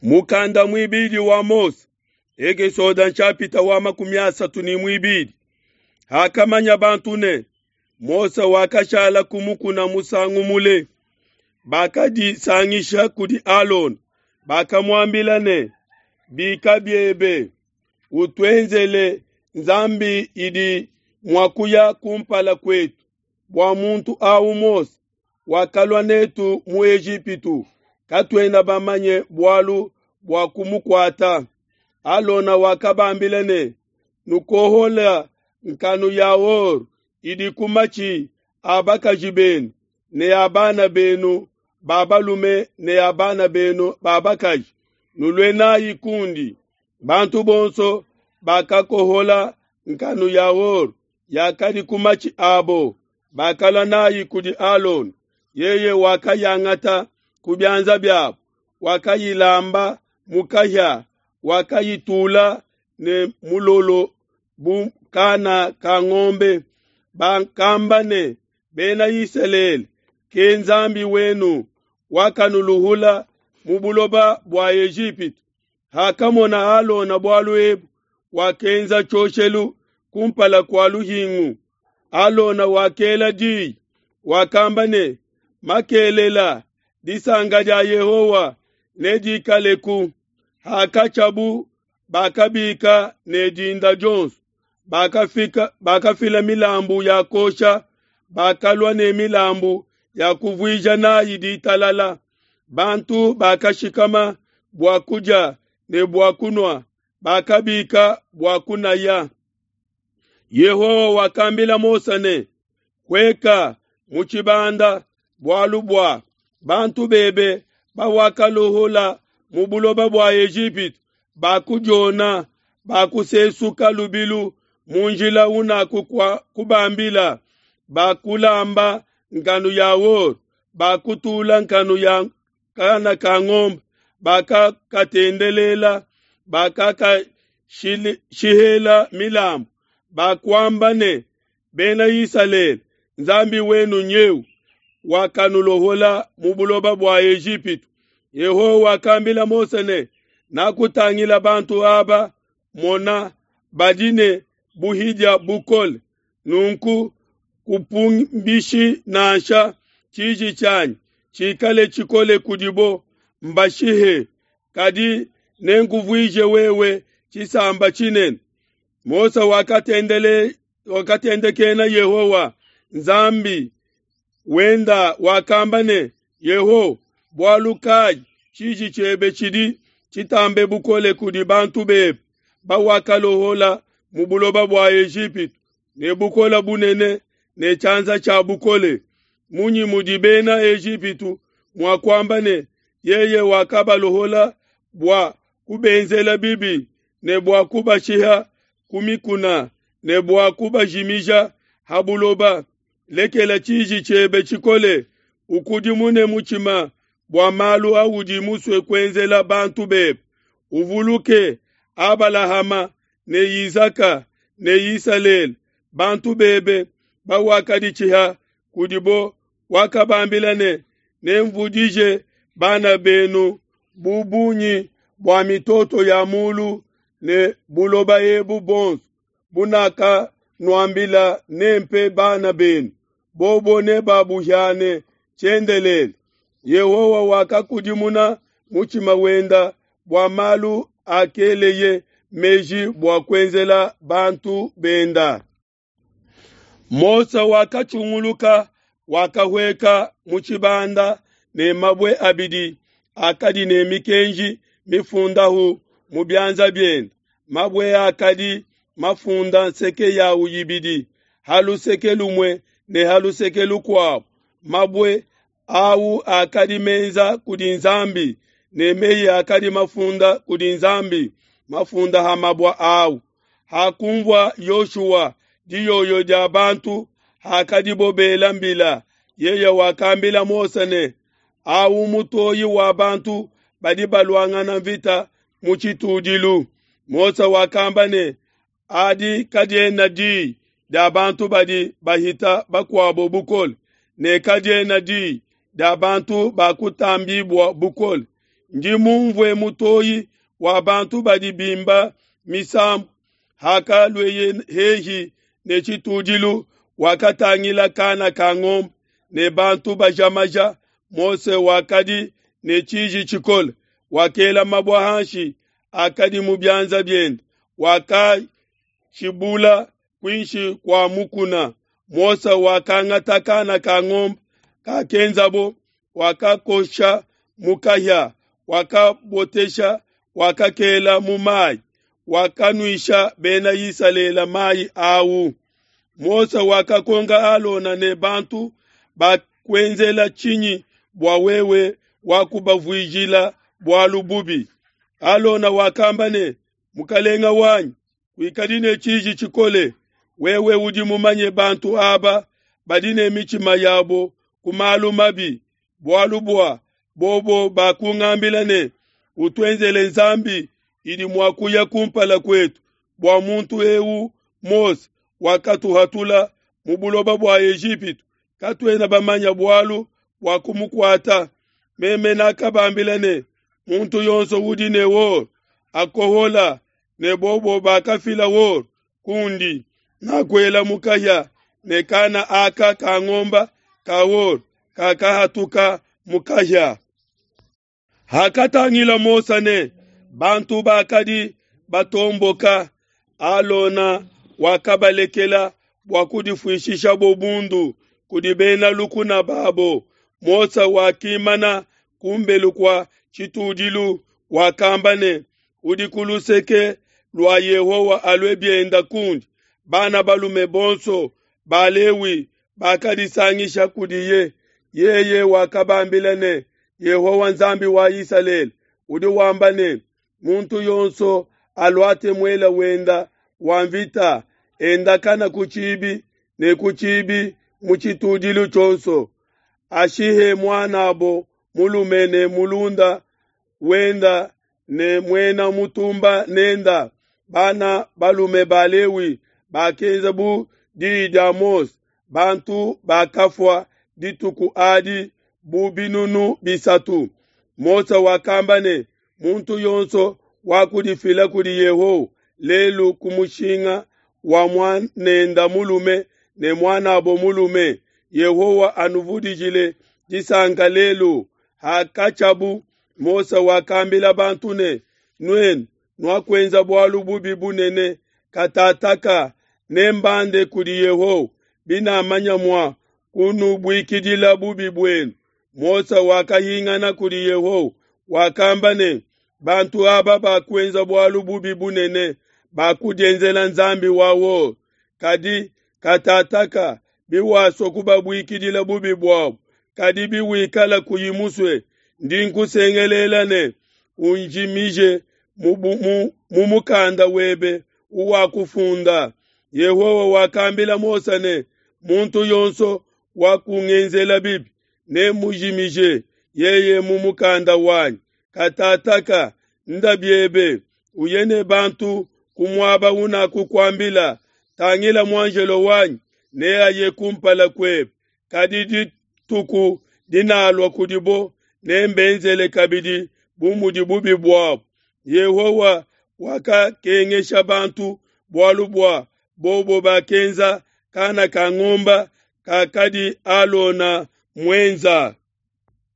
Mukanda muibidi wa Mose, Ekesode nshapita wa 32. Hakamanya bantu ne, Mose wakashala ku mukuna musangu mule, bakadisangisha kudi Alona, bakamuambila ne, Bika biebe, utuenzele nzambi idi mua kuya kumpala kuetu, bua muntu awu Mose wakalua netu mu Ejipitu, katuena bamanye bualu bua kumukuata. Alona wakabambila ne, Nukohola nkanu ya or idi ku matshi a bakaji benu ne a bana benu ba balume ne a bana benu ba bakaji, nulue nayi kundi. Bantu bonso bakakohola nkanu ya or yakadi ku matshi abo, bakalua nayi kudi Alona. Yeye wakayangata ku bianza biabo, wakayilamba mu kahia, wakayitula ne mulolo bu kana ka ngombe. Bakamba ne, Bena Isalele, ke Nzambi wenu wakanuluhula mu buloba bua Ejipitu. Hakamona Alona bualu ebu, wakenza tshioshelu kumpala kua luhingu. Alona wakela diyi, wakamba ne, Makelela disanka dia Yehowa nedikaleku. Hakatshiabu bakabika ne dinda dionso, bakafika bakafila milambu ya kosha, bakalua ne milambu ya kuvuija nayi ditalala. Bantu bakashikama bua kudia ne bua kunua, bakabika bua kunaya. Yehowa wakambila Mose ne, Hueka mu tshibanda, bualu bua bantu bebe bawakaluhula mu buloba bua Ejipitu bakudiona, bakusesuka lubilu mu njila unakubambila, bakulamba nkanu ya or, bakutula nkanu ya kana ka ngombe, bakakatendelela, bakakashihela milambu, bakuamba ne, Bena Isalele, Nzambi wenu nyeu wakanulohola mu buloba bua Ejipitu. Yehowa wakambila Mose ne, Nakutangila bantu aba, mona, badi ne buhidia bukole, nunku kupumbishi nansha tshiji tshianyi tshikale tshikole kudibo, mbashihe, kadi nenkuvuije wewe tshisamba tshinene. Mose wakatendele wakatendekena Yehowa Nzambi wenda, wakamba ne, Yehowa, bualu kayi tshiji tshiebe tshidi tshitambe bukole kudi bantu bebe bawakalohola mu buloba bua Ejipitu ne bukole bunene ne tshianza tshia bukole? Munyi mudi bena Ejipitu mua kuamba ne, Yeye wakabalohola bua kubenzela bibi ne bua kubashiha ku mikuna ne bua kubajimija ha buloba? Lekela tshiji tshiebe tshikole, ukudimune mutshima bua malu audi musue kuenzela bantu bebe. Uvuluke Abalahama ne Isaka ne Isalele, bantu bebe bawakaditshiha kudibo, wakabambila ne, Nenvudije bana benu bu bungi bua mitoto ya mulu ne buloba ebu buonso bunakanuambila nempe bana benu, bobo nebabuhiane tshiendelele. Yehowa wakakudimuna mutshima wenda bua malu akeleye meji bua kuenzela bantu benda. Mose wakatshunguluka, wakahueka mu tshibanda ne mabue abidi akadi ne mikenji mifundahu mu bianza biende. Mabue akadi mafunda nseke yawu ibidi, ha luseke lumue ne ha luseke lukuabo. Mabue awu akadi menza kudi Nzambi, ne meyi akadi mafunda kudi Nzambi, mafunda ha mabue awu. Hakunvua Yoshua diyoyo dia bantu hakadibo bela mbila, yeye wakambila Mose ne, Awu mutoyi wa bantu badi baluangana mvita mu tshitudilu. Mose wakamba ne, Adi kadiena diyi dia bantu badi bahita bakuabo bukole, ne kadiena diyi dia bantu bakutambibua bukole. Ndi mumvue mutoyi wa bantu badi bimba misambu. Hakalueye hehi ne tshitudilu, wakatangila kana ka ngombe ne bantu baja maja. Mose wakadi ne tshiji tshikole, wakela mabue hanshi akadi mu bianza biende, wakatshibula kuinshi kua mukuna. Mose wakangata kana ka ngombe kakenzabo, wakakosha mu kahia, wakabotesha, wakakela mu mayi, wakanuisha bena Isalele mayi au. Mose wakakonka Alona ne bantu bakuenzela tshinyi bua wewe wakubavuijila bualu bubi? Alona wakamba ne, Mukalenga wanyi, kuikadi ne tshiji tshikole, wewe udi mumanye bantu aba badi ne mitshima yabo ku malu mabi, bualu bua bobo bakungambila ne, Utuenzele nzambi idi mua kuya kumpala kuetu, bua muntu eu Mose wakatuhatula mu buloba bua Ejipitu, katuena bamanya bualu bua kumukuata. Meme nakabambila ne, muntu yonso udi ne or akohola, ne bobo bakafila or kundi. Nakuela mu kahia ne kana aka ka ngomba ka or kakahatuka mu kahia. Hakatangila Mose ne bantu bakadi batomboka, Alona wakabalekela bua kudifuishishabo bundu kudi bena lukuna babo. Mose wakimana kumbelu kua tshitudilu, wakamba ne, udi ku luseke lua Yehowa alue bienda kundi. Bana balume bonso ba Lewi bakadisangisha kudiye. Yeye wakabambila ne, Yehowa Nzambi wa Isalele udi wamba ne, muntu yonso aluate muela wenda wa mvita, endakana ku tshibi ne ku tshibi mu tshitudilu tshionso, ashihe muanabo mulume ne mulunda wenda ne muena mutumba nenda. Bana balume ba Lewi bakenza bu diyi dia Mose. Bantu bakafua dituku adi bu binunu bisatu. Mose wakamba ne, muntu yonso wakudifila kudi Yehowa lelu ku mushinga wa muanenda mulume ne muanabo mulume, Yehowa anuvudijile disanka lelu. Hakatshiabu Mose wakambila bantu ne, nuenu nuakuenza bualu bubi bunene, katataka nembande kudi Yehowa, binamanya mua kunubuikidila bubi buenu. Mose wakahingana kudi Yehowa, wakamba ne, bantu aba bakuenza bualu bubi bunene, bakudienzela nzambi wa or. Kadi katataka biwasua kubabuikidila bubi buabo, kadi biwikala kuyi musue, ndi nkusengelela ne, unjimije mu mukanda webe uwakufunda. Yehowa wakambila Mose ne, muntu yonso wakungenzela bibi nemujimije yeye mu mukanda wanyi. Katataka nda biebe, uye ne bantu ku muaba unakukuambila. Tangila muanjelo wanyi neaye kumpala kuebe, kadi dituku dinalua kudibo nembenzele kabidi bu mudi bubi buabo. Yehowa wakakengesha bantu bualu bua bobo bakenza kana ka ngomba kakadi Alona muenza.